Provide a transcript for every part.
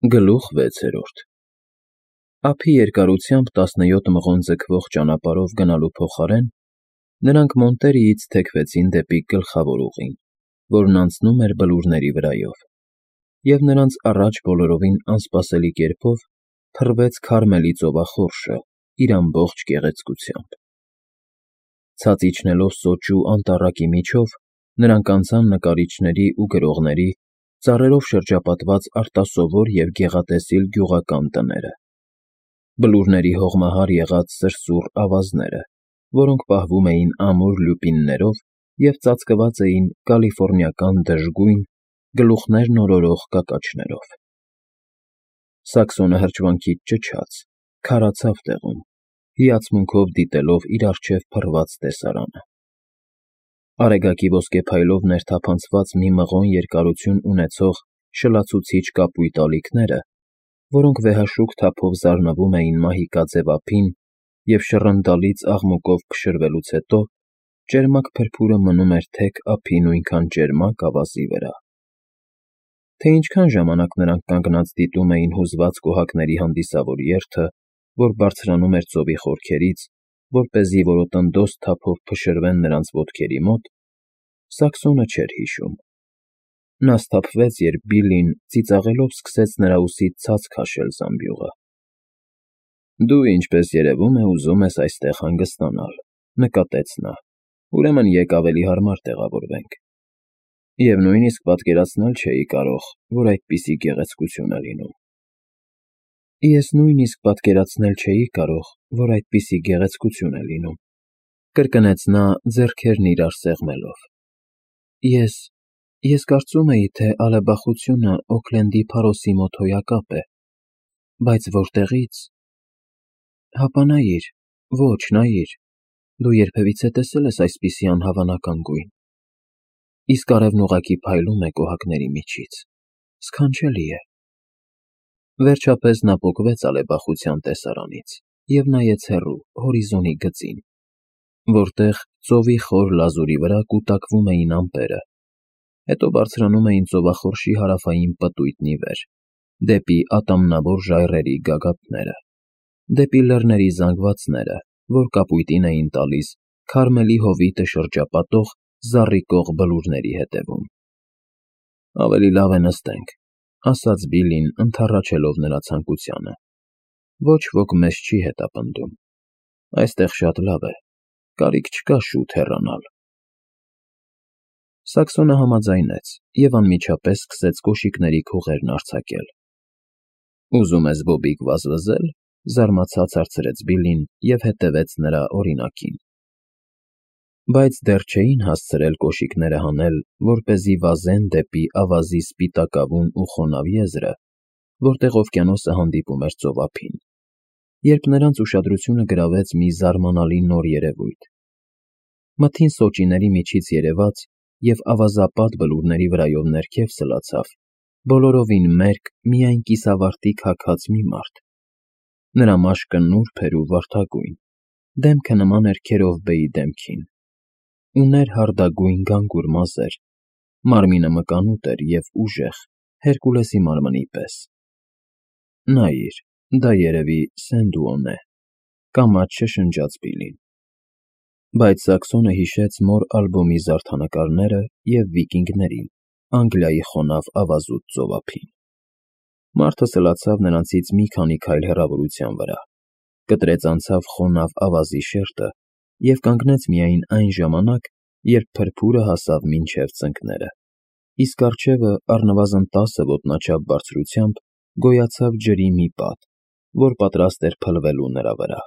Գլուխ 6 Ափի երկարությամբ 17 մղոն ձգվող ճանապարհով գնալու փոխարեն նրանք Մոնտերիից թեքվեցին դեպի գլխավոր ուղին, որն անցնում էր բլուրների վրայով, և նրանց առաջ բոլորովին անսպասելի կերպով փռվեց Քարմելի ծովախորշը իր ամբողջ գեղեցկությամբ։ Ցած իջնելով սոճու անտառակի միջով, նրանք անցան նկարիչների ու գրողների, ծառերով շրջապատված արտասովոր և գեղատեսիլ գյուղական տները, բլուրների հողմահար եղած սրսուռ ավազները, որոնք պահվում էին ամուր լյուպիններով և ծածկված էին կալիֆոռնիական դժգույն, գլուխներն օրորող կակաչներով։ Սաքսոնը հրճվանքից ճչաց, քարացավ տեղում, հիացմունքով դիտելով իր առջև փռված տեսարանը։ Արեգակի ոսկե փայլով ներթափանցված մի մղոն երկարություն ունեցող շլացուցիչ կապույտ ալիքները, որոնք վեհաշուք թափով զարնվում էին մահիկաձև ափին և շռնդալից աղմուկով փշրվելուց հետո, ճերմակ փրփուրը մնում էր թեք ափի նույնքան ճերմակ ավազի վրա։ Թե ինչքան ժամանակ նրանք կանգնած դիտում էին հուզված կոհակների հանդիսավոր երթը, որ բարձրանում էր ծովի խորքերից, որպեսզի որոտնդոզ թափով փշրվեն նրանց ոտքերի մոտ, Սաքսոնը չէր հիշում։ Նա սթափվեց, երբ Բիլլին ծիծաղելով սկսեց նրա ուսից ցած քաշել զամբյուղը։ «Դու, ինչպես երևում է, ուզում ես այստեղ հանգստանալ,֊ նկատեց նա,֊ ուրեմն եկ ավելի հարմար տեղավորվենք։ Եվ նույնիսկ պատկերացնել չէի կարող, որ այդպիսի գեղեցկություն է լինում»։ Ես նույնիսկ պատկերացնել չէի կարող, որ այդպիսի գեղեցկություն է լինում,֊ կրկնեց նա, ձեռքերն իրար սեղմելով։ Ես կարծում էի, թե ալեբախությունը Օքլենդի փարոսի մոտ հոյակապ է, բայց որտեղի՞ց… Հապա նայիր, ոչ, նայիր, դու երբևիցե տեսել ես այսպիսի անհավանական գույն… Իսկ արևն ուղղակի փայլում է կոհակների միջից… Սքանչելի է… Վերջապես նա պոկվեց ալեբախության տեսարանից և նայեց հեռու, հորիզոնի գծին, որտեղ ծովի խոր լազուրի վրա կուտակվում էին ամպերը, հետո բարձրանում էին ծովախորշի հարավային պտույտն ի վեր, դեպի ատամնավոր ժայռերի գագաթները, դեպի լեռների զանգվածները, որ կապույտին էին տալիս Քարմելի հովիտը շրջապատող զառիկող բլուրների հետևում։ «Ավելի լավ է նստենք,֊ ասաց Բիլլին, ընդառաջելով նրա ցանկությանը,֊ ոչ ոք մեզ չի հետապնդում։ Այստեղ շատ լավ է, կարիք չկա շուտ հեռանալ»։ Սաքսոնը համաձայնեց և անմիջապես սկսեց կոշիկների քուղերն արձակել։ «Ուզում ես բոբիկ վազվզել,֊ զարմացած հարցրեց Բիլլին և հետևեց նրա օրինակին։ Բայց դեռ չէին հասցրել կոշիկները հանել, որպեսզի վազեն դեպի ավազի սպիտակավուն ու խոնավ եզրը, որտեղ օվկիանոսը հանդիպում էր ծովափին, երբ նրանց ուշադրությունը գրավեց մի զարմանալի նոր երևույթ։ Մթին սոճիների միջից երևաց և ավազապատ բլուրների վրայով ներքև սլացավ բոլորովին մերկ, միայն կիսավարտիք հագած մի մարդ։ Նրա մաշկը նուրբ էր ու վարդագույն, դեմքը նման էր Քերովբեի դեմքին, ուներ հարդագույն գանգուր մազեր, մարմինը մկանուտ էր և ուժեղ, Հերկուլեսի մարմնի պես։ «Նայիր, դա երևի Սենդուոն է,֊ կամաց շշնջաց Բիլլին։ Բայց Սաքսոնը հիշեց մոր ալբոմի զարդանկարները և վիկինգներին, Անգլիայի խոնավ ավազուտ ծովափին։ Մարդը սլացավ նրանցից մի քանի քայլ հեռավորության վրա, կտրեց անցավ խոնավ ավազի շերտը և կանգնեց միայն այն ժամանակ, երբ փրփուրը հասավ մինչև ծնկները, իսկ առջևը առնվազն 10 ոտնաչափ բարձրությամբ գոյացավ ջրի մի պատ, որ պատրաստ էր փլվելու նրա վրա։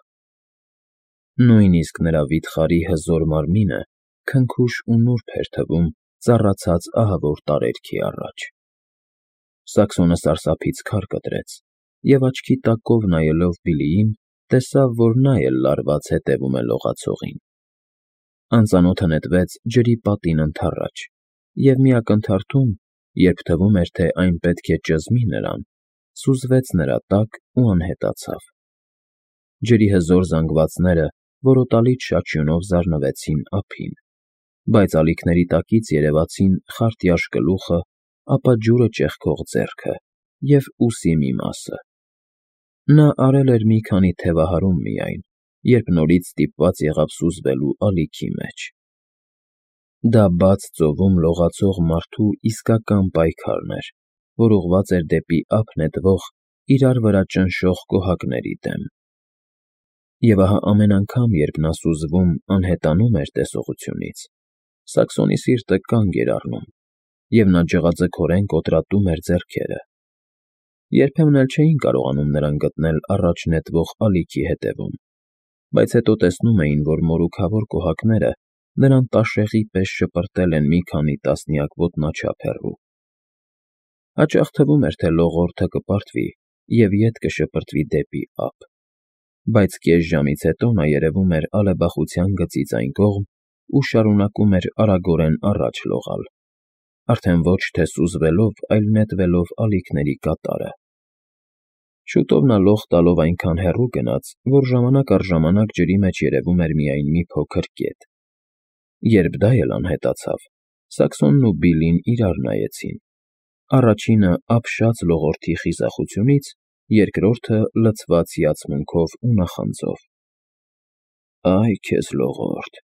Նույնիսկ նրա վիթխարի հզոր մարմինը քնքուշ ու նուրբ էր թվում ծառացած ահավոր տարերքի առաջ։ Սաքսոնը սարսափից քար կտրեց և աչքի տակով նայելով Բիլլիին, տեսավ, որ նա էլ լարված հետևում է լողացողին։ Անծանոթը նետվեց ջրի պատին ընդառաջ և մի ակնթարթում, երբ թվում էր, թե այն պետք է ճզմի նրան, սուզվեց նրա տակ ու անհետացավ։ Ջրի հզոր զանգվածները որոտալից շաչյունով զարնվեցին ափին, բայց ալիքների տակից երևացին խարտյաշ գլուխը, ապա ջուրը ճեղքող ձեռքը և ուսի մի մասը։ Նա արել էր մի քանի թևահարում միայն, երբ նորից ստիպված եղավ սուզվելու ալիքի մեջ։ Դա բաց ծովում լողացող մարդու իսկական պայքարն էր, որ ուղղված էր դեպի ափ նետվող, իրար վրա ճնշող կոհակների դեմ։ Եվ ահա ամեն անգամ, երբ նա սուզվում, անհետանում էր տեսողությունից, Սաքսոնի սիրտը կանգ էր առնում, և նա ջղաձգորեն կոտրատում էր ձեռքերը։ Երբեմն էլ չէին կարողանում նրան գտնել առաջ նետվող ալիքի հետևում, բայց հետո տեսնում էին, որ մորուքավոր կոհակները նրան տաշեղի պես շպրտել են մի քանի տասնյակ ոտնաչափ հեռու։ Հաճախ թվում էր, թե լողորդը կպարտվի և ետ կշպրտվի դեպի ափ, բայց կես ժամից հետո նա երևում էր ալեբախության գծից այն կողմ ու շարունակում էր արագորեն առաջ լողալ, արդեն ոչ թե սուզվելով, այլ նետվելով ալիքների կատարը։ Շուտով նա լող տալով այնքան հեռու գնաց, որ ժամանակ առ ժամանակ ջրի մեջ երևում էր միայն մի փոքր կետ։ Երբ դա էլ անհետացավ, Սաքսոնն ու Բիլլին իրար նայեցին, առաջինը ապշած լողորդի խիզախությունից, երկրորդը լցված հիացմունքով ու նախանձով։ «Այ քեզ լողորդ,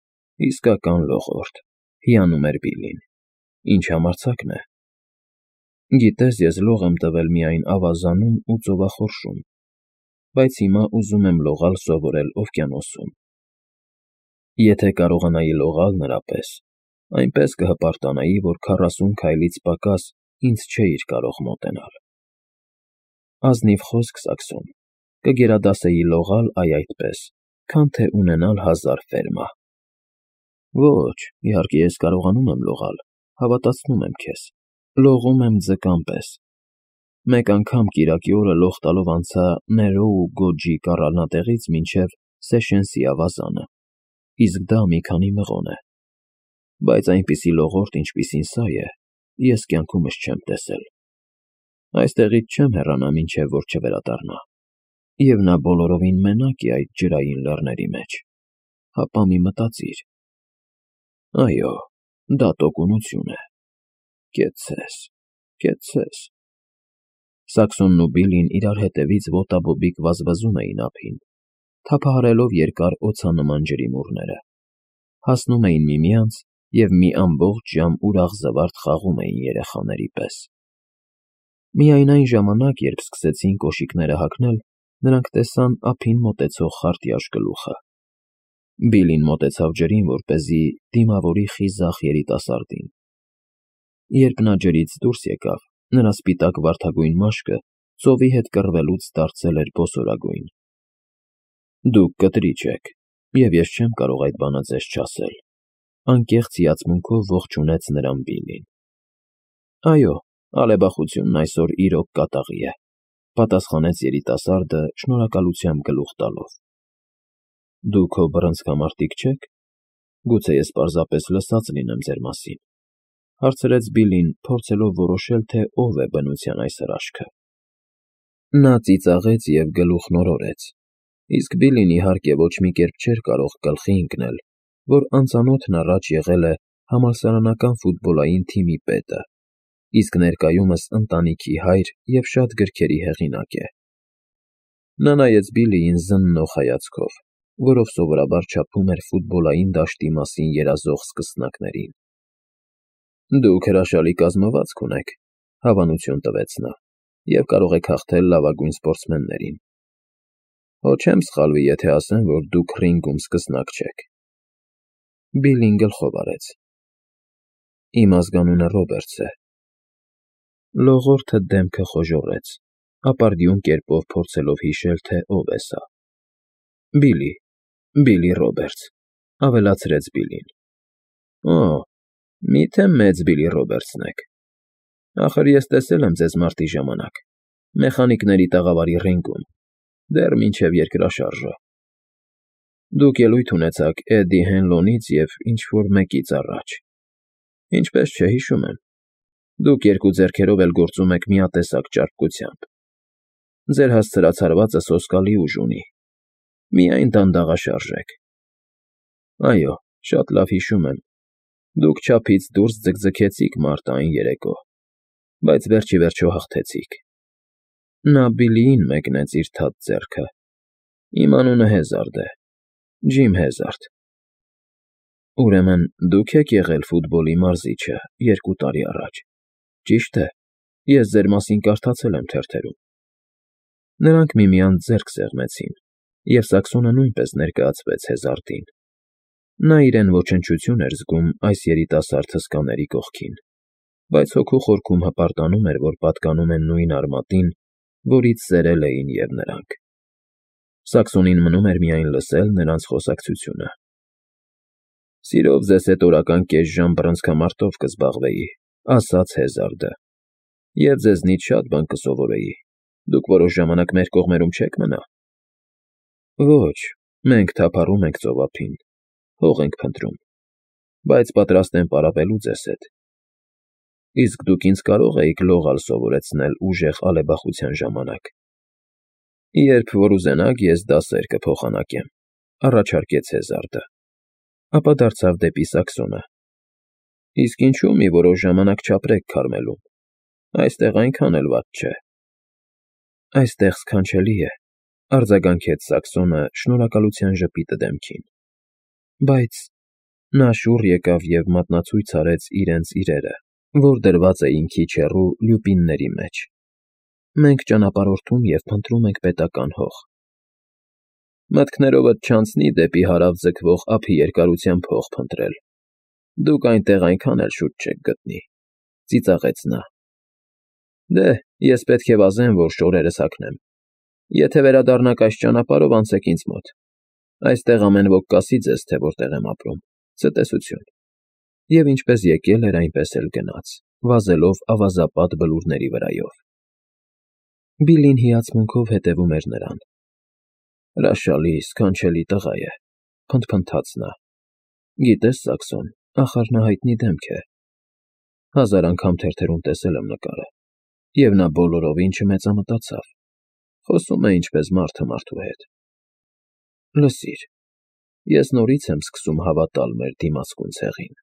իսկական լողորդ», հիանում էր Բիլլին։ «Ինչ համարձակն է։ Գիտես, ես լող եմ տվել միայն ավազանում ու ծովախորշում, բայց հիմա ուզում եմ լողալ սովորել օվկիանոսում։ Եթե կարողանայի լողալ նրա պես, այնպես կհպարտանայի, որ 40 քայլից պակաս ինձ չէիր կարող մոտենալ։ Ազնիվ խոսք, Սաքսոն, կգերադասեի լողալ այդպես, քան թե ունենալ 1000 ֆերմա։ Ոչ, իհարկե ես կարողանում եմ լողալ, հավատացնում եմ քեզ, լողում եմ ձկան պես։ Մեկ անգամ կիրակի օրը լող տալով անցա Ներոու Գոջի կառանատեղից մինչև Սեշենսի ավազանը, իսկ դա մի քանի մղոն է։ Բայց այնպիսի լողորդ, ինչպիսին սա է, ես կյանքումս չեմ տեսել։ Այստեղից չեմ հեռանա, մինչև որ չվերադառնա։ Եվ նա բոլորովին մենակ է այդ ջրային լեռների մեջ։ Հապա մի մտածիր։ Այո, դա տոկունություն է։ Կեցցես, կեցցես։ Սաքսոնն ու Բիլլին իրար հետևից ոտաբոբիկ վազվզում էին ափին, թափահարելով երկար օձանման ջրիմուռները, հասնում էին միմյանց և մի ամբողջ ժամ ուրախ զվարթ խաղում էին երեխաների պես։ Միայն այն ժամանակ, երբ սկսեցին կոշիկները հագնել, նրանք տեսան ափին մոտեցող խարտյաշ գլուխը։ Բիլլին մոտեցավ ջրին, որպեսզի դիմավորի խիզախ երիտասարդին։ Երբ նա ջրից դուրս եկավ, նրա սպիտակ վարդագույն մաշկը ծովի հետ կռվելուց դարձել էր բոսորագույն։ Դուք կտրիչ եք, և ես չեմ կարող այդ բանը ձեզ չասել, անկեղծ հիացմունքով ողջունեց նրան Բիլլին։ Այո, ալեբախությունն այսօր իրոք կատաղի է, պատասխանեց երիտասարդը շնորհակալությամբ գլուխ տալով։ Դուք հո բռնցքամարտիկ չեք։ Գուցե ես պարզապես լսած լինեմ ձեր մասին, հարցրեց Բիլլին, փորձելով որոշել, թե ով է բնության այս հրաշքը։ Նա ծիծաղեց և գլուխն օրորեց, իսկ Բիլլին իհարկե ոչ մի կերպ չէր կարող գլխի ընկնել, որ անծանոթն առաջ եղել է համալսարանական ֆուտբոլային թիմի պետը, իսկ ներկայումս ընտանիքի հայր և շատ գրքերի հեղինակ է։ Նա նայեց Բիլլիին զննող հայացքով, որով սովորաբար չափում էր ֆուտբոլային դաշտի մասին երազող սկսնակներին։ Դուք հրաշալի կազմվածք ունեք, հավանություն տվեց նա, և կարող եք հաղթել լավագույն սպորտսմեններին։ Հո չեմ սխալվի, եթե ասեմ, որ դուք ռինգում սկսնակ չեք։ Բիլլին գլխով արեց։ Իմ ազգանունը Ռոբերտս է։ Լողորդը դեմքը խոժոռեց, ապարդյուն կերպով փորձելով հիշել, թե ով է սա։ Բիլլի Ռոբերտս, ավելացրեց Բիլլին։ Օ, միթե մեծ Բիլլի Ռոբերտսն եք։ Ախր ես տեսել եմ ձեզ մարտի ժամանակ, մեխանիկների տաղավարի ռինգում, դեռ մինչև երկրաշարժը։ Դուք ելույթ ունեցաք Էդդի Հենլոնից և ինչ֊որ մեկից առաջ։ Ինչպես չէ, հիշում եմ։ Դուք երկու ձեռքերով էլ գործում եք միատեսակ ճարպկությամբ։ Ձեր հասցրած հարվածը սոսկալի ուժ ունի։ Միայն դանդաղաշարժ եք։ Այո, շատ լավ հիշում եմ։ Դուք չափից դուրս ձգձգեցիք մարտը այն երեկո, բայց վերջ ի վերջո հաղթեցիք։ Նա Բիլիին մեկնեց իր թաց ձեռքը։ Իմ անունը Հեզարդ է, Ջիմ Հեզարդ։ Ուրեմն դուք եք եղել ֆուտբոլի մարզիչը 2 տարի առաջ, ճի՞շտ է, ես ձեր մասին կարդացել եմ թերթերում։ Նրանք միմյանց ձեռք սեղմեցին, և Սակսոնը նույնպես ներկայացվեց Հեզարդին։ Նա իրեն ոչնչություն էր զգում այս երիտասարդ հսկաների կողքին, բայց հոգու խորքում հպարտանում էր, որ պատկանում են նույն արմատին, որից սերել էին և նրանք։ Սակսոնին մնում էր միայն լսել նրանց խոսակցությունը։ «Սիրով ձեզ հետ օրական կես ժամ բռնցքամարտով կզբաղվեի», ասաց Հեզարդը, «և ձեզնից շատ բան կսովորեի։ Դուք որոշ ժամանակ մեր կողմերում չե՞ք մնա»։ «Ոչ, մենք թափառում ենք ծովափին, հող ենք փնտրում, բայց պատրաստ եմ պարապելու ձեզ հետ»։ «Իսկ դուք ինձ կարո՞ղ էիք լողալ սովորեցնել ուժեղ ալեբախության ժամանակ»։ «Երբ որ ուզենաք, ես դասեր կփոխանակեմ», առաջարկեց Հեզարդը, ապա դարձավ դեպի Սակսոնը։ «Իսկ ինչու՞ մի որոշ ժամանակ չապրեք Քարմելում, այստեղ այնքան էլ վատ չէ»։ «Այստեղ սքանչելի է», արձագանքեց Սակսոնը շնորհակալության ժպիտը դեմքին։ «Բայց…» Նա շուռ եկավ և մատնացույց արեց իրենց իրերը, որ դրված էին քիչ հեռու լյուպինների մեջ։ «Մենք ճանապարհորդում և փնտրում ենք պետական հող»։ «Մտքներովդ չանցնի դեպի հարավ ձգվող ափի երկարությամբ հող փնտրել։ Դուք այնտեղ այնքան էլ շուտ չեք գտնի», ծիծաղեց նա։ «Դե, ես պետք է վազեմ, որ շորերս հագնեմ։ Եթե վերադառնաք այս ճանապարհով, անցեք ինձ մոտ։ Այստեղ ամեն ոք կասի ձեզ, թե որտեղ եմ ապրում։ Ցտեսություն»։ Եվ ինչպես եկել էր, այնպես էլ գնաց, վազելով ավազապատ բլուրների վրայով։ Բիլլին հիացմունքով հետևում էր նրան։ «Հրաշալի, սքանչելի տղա է», փնթփնթաց նա։ «Գիտես, Սակսոն, ախար նա հայտնի դեմք է։ 1000 անգամ թերթերում տեսել եմ նկարը, և նա բոլորովին չմեծամտացավ։ Խոսում է ինչպես մարդը մարդու հետ։ Լսիր, ես նորից եմ սկսում հավատալ մեր դիմացկուն ցեղին»։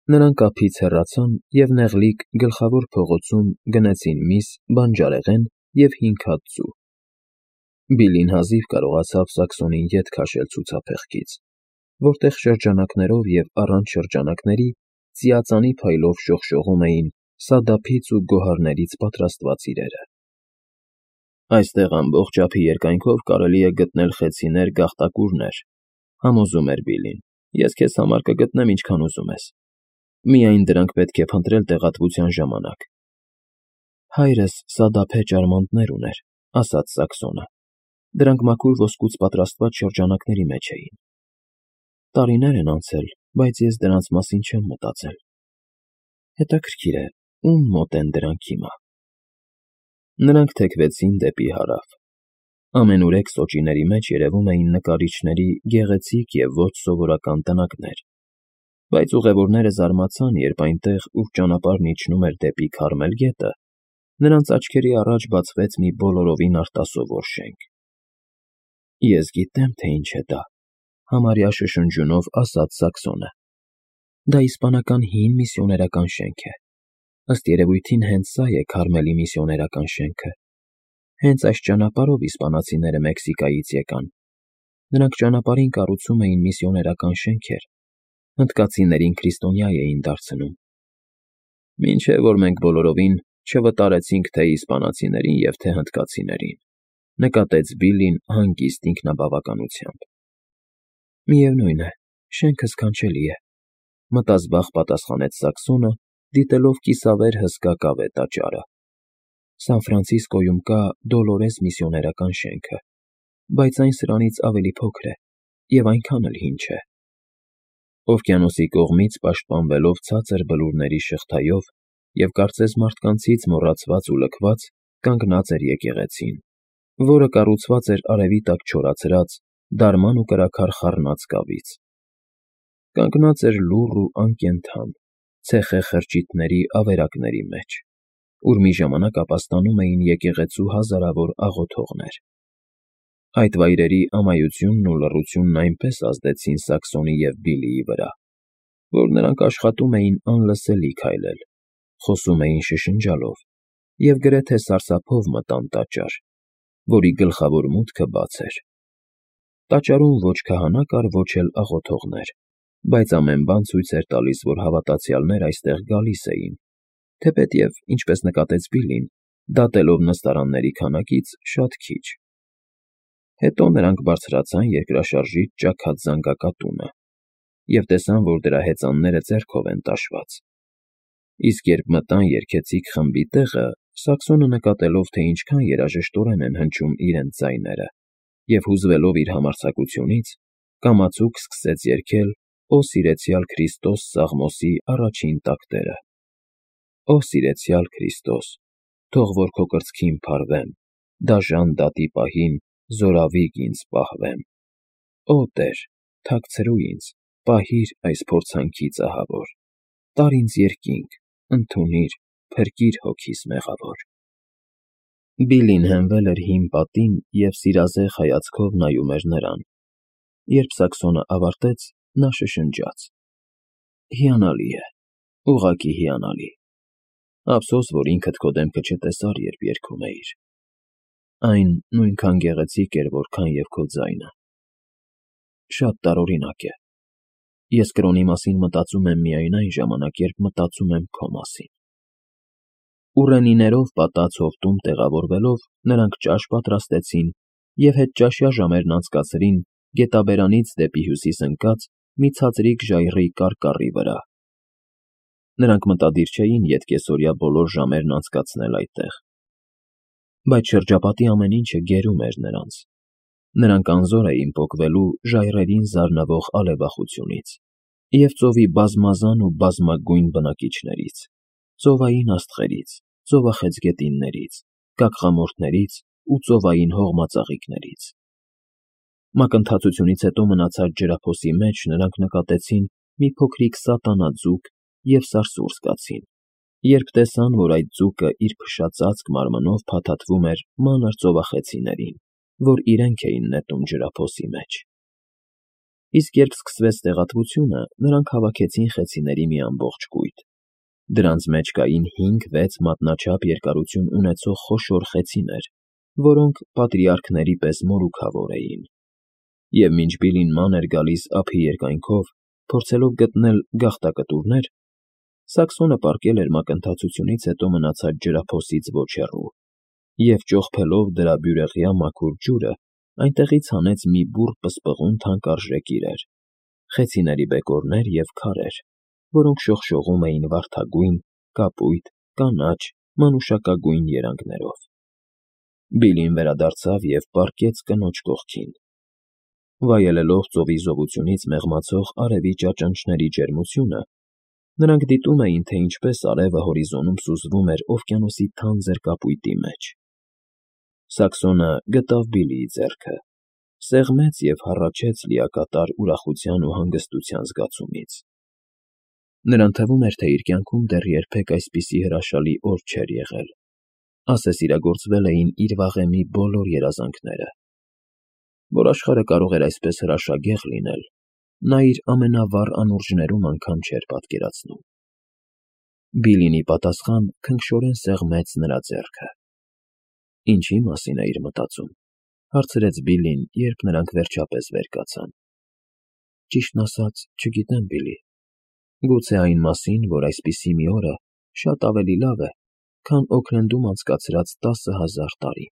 Նրանք ափից հեռացան և նեղլիկ Գլխավոր փողոցում գնեցին միս, բանջարեղեն և հինգ հատ ձու։ Բիլլին հազիվ կարողացավ Սակսոնին ետ քաշել ցուցափեղկից, որտեղ շրջանակներով և առանց շրջանակների ծիածանի փայլով շողշողում էին սադափից ու գոհարներից պատրաստված իրերը։ «Այստեղ ամբողջ ափի երկայնքով կարելի է գտնել խեցիներ, գաղտակուրներ», համոզում էր Բիլլին։ «Ես քեզ համար կգտնեմ ինչքան ուզում ես։ Միայն դրանք պետք է փնտրել տեղատվության ժամանակ»։ «Հայրս սադափե ճարմանտներ ուներ», ասաց Սակսոնը։ «Դրանք մաքուր ոսկուց պատրաստված շրջանակների մեջ էին։ Տարիներ են անցել, բայց ես դրանց մասին չեմ մտածել։ Հետաքրքիր է, ում մոտ են դրանք հիմա»։ Նրանք թեքվեցին դեպի հարավ։ Ամենուրեք սոճիների մեջ երևում էին նկարիչների գեղեցիկ և ոչ սովորական տնակներ, բայց ուղևորները զարմացան, երբ այնտեղ, ուր ճանապարհն իջնում էր դեպի Քարմել գետը, նրանց աչքերի առաջ բացվեց մի բոլորովին արտասովոր շենք։ «Ես գիտեմ, թե ինչ է դա», համարյա շշնջյունով ասաց Սակսոնը։ «Դա իսպանական հին միսիոներական շենք է։ Ըստ երևույթին հենց սա է Քարմելի միսիոներական շենքը։ Հենց այս ճանապարհով իսպանացիները Մեքսիկայից եկան։ Նրանք ճանապարհին կառուցում էին միսիոներական շենքեր, հնդկացիներին քրիստոնյա էին դարձնում։ Մինչև որ մենք բոլորովին չվտարեցինք թե իսպանացիներին և թե հնդկացիներին», նկատեց Բիլլին հանգիստ ինքնաբավականությամբ։ «Միևնույն է, շենքը սքանչելի է», մտազբաղ պատասխանեց Սակսոնը, դիտելով կիսավեր հսկա կավե տաճարը։ «Սան Ֆրանցիսկոյում կա Դոլորես միսիոներական շենքը, բայց այն սրանից ավելի փոքր է և այնքան էլ հին չէ»։ Օվկիանոսի կողմից պաշտպանվելով ցածր բլուրների շղթայով և կարծես մարդկանցից մոռացված ու լքված, կանգնած էր եկեղեցին, որը կառուցված էր արևի տակ չորացած, դարման ու կրաքար խառնած կավից։ Կանգնած էր լուռ ու անկենդան, ցեխե խրճիթների ավերակների մեջ, ուր մի ժամանակ ապաստանում էին եկեղեցու հազարավոր աղոթողներ։ Այդ վայրերի ամայությունն ու լռությունն այնպես ազդեցին Սակսոնի և Բիլլիի վրա, որ նրանք աշխատում էին անլսելի քայլել, խոսում էին շշնջալով, և գրեթե սարսափով մտան տաճար, որի գլխավոր մուտքը բաց էր։ Տաճարում ոչ քահանա կար, ոչ էլ աղոթողներ, բայց ամեն բան ցույց էր տալիս, որ հավատացյալներ այստեղ գալիս էին, թեպետև, ինչպես նկատեց Բիլլին, դատելով նստարանների քանակից, շատ քիչ։ Հետո նրանք բարձրացան երկրաշարժից ճաքած զանգակատունը և տեսան, որ դրա հեծանները ձեռքով են տաշված։ Իսկ երբ մտան երգեցիկ խմբի տեղը, Սաքսոնը նկատելով, թե ինչքան երաժշտորեն են հնչում իրենց ձայները, և հուզվելով իր համարձակությունից, կամացուկ սկսեց երգել «Օ սիրեցյալ Քրիստոս» Սաղմոսի առաջին տակտերը. Օ սիրեցյալ Քրիստոս, թող որ քո կրծքին փարվեմ, դաժան դատի պահին զորավիկ ինձ պահվեմ։ Օ Տեր, թաքցրու ինձ, պահիր այս փորձանքից ահավոր, տար ինձ երկինք, ընդունիր, փրկիր հոգիս մեղավոր։ Բիլլին հենվել էր հին պատին և սիրազեղ հայացքով նայում էր նրան։ Երբ Սաքսոնը ավարտեց, նա շշնջաց. Հիանալի է, ուղղակի հիանալի։ Ափսոս, որ ինքդ քո դեմքը չտեսար, երբ երգում էիր։ Այն նույնքան գեղեցիկ էր, որքան և քո ձայնը։ Շատ տարօրինակ է։ Ես կրոնի մասին մտածում եմ միայն այն ժամանակ, երբ մտածում եմ քո մասին։ Ուռենիներով պատած հովտում տեղավորվելով, նրանք ճաշ պատրաստեցին և հետճաշյա ժամերն անցկացրին գետաբերանից դեպի հյուսիս ընկած մի ցածրիկ ժայռի կարկառի վրա։ Նրանք մտադիր չէին ետկեսօրյա բոլոր ժամերն անցկացնել այդտեղ, բայց շրջապատի ամեն ինչը գերում էր նրանց։ Նրանք անզոր էին պոկվելու ժայռերին զարնվող ալևախությունից և ծովի բազմազան ու բազմագույն բնակիչներից, ծովային աստղերից, ծովախեցգետիններից, կակղամորթներից ու ծովային հողմածաղիկներից։ Մակընթացությունից հետո մնացած ջրափոսի մեջ նրանք նկատեցին մի փոքրիկ սատանաձուկ և սարսուռ զգացին, երբ տեսան, որ այդ ձուկը իր փշածածկ մարմնով փաթաթվում էր մանր ծովախեցիներին, որ իրենք էին նետում ջրափոսի մեջ։ Իսկ երբ սկսվեց տեղատվությունը, նրանք հավաքեցին խեցիների մի ամբողջ կույտ։ Դրանց մեջ կային 5-6 մատնաչափ երկարություն ունեցող խոշոր խեցիներ, որոնք պատրիարքների պես մորուքավոր էին։ Եվ մինչ Բիլլին ման էր գալիս ափի երկայնքով, փորձելով գտնել գաղտակտուրներ, Սաքսոնը պառկել էր մակընթացությունից հետո մնացած ջրափոսից ոչ հեռու և, ճողփելով դրա բյուրեղյա մաքուր ջուրը, այնտեղից հանեց մի բուռ պսպղուն թանկարժեք իրեր, խեցիների բեկորներ և քարեր, որոնք շողշողում էին վարդագույն, կապույտ, կանաչ, մանուշակագույն երանգներով։ Բիլլին վերադարձավ և պառկեց կնոջ կողքին։ Վայելելով ծովի զովությունից մեղմացող արևի ճաճանճների ջերմությունը, նրանք դիտում էին, թե ինչպես արևը հորիզոնում սուզվում էր օվկիանոսի թանձր կապույտի մեջ։ Սաքսոնը գտավ Բիլլիի ձեռքը, սեղմեց և հառաչեց լիակատար ուրախության ու հանգստության զգացումից։ Նրան թվում էր, թե իր կյանքում դեռ երբեք այսպիսի հրաշալի օր չէր եղել, ասես իրագործվել էին իր վաղեմի բոլոր երազանքները։ Որ աշխարհը կարող էր այսպես հրաշագեղ լինել, նա իր ամենավառ անուրջներում անգամ չէր պատկերացնում։ Բիլլին ի պատասխան քնքշորեն սեղմեց նրա ձեռքը։ Ինչի՞ մասին էիր մտածում, հարցրեց Բիլլին, երբ նրանք վերջապես վեր կացան։ Ճիշտն ասած, չգիտեմ, Բիլլի, գուցե այն մասին, որ այսպիսի մի օրը շատ ավելի լավ է, քան Օքլենդում անցկացրած 10,000 տարի։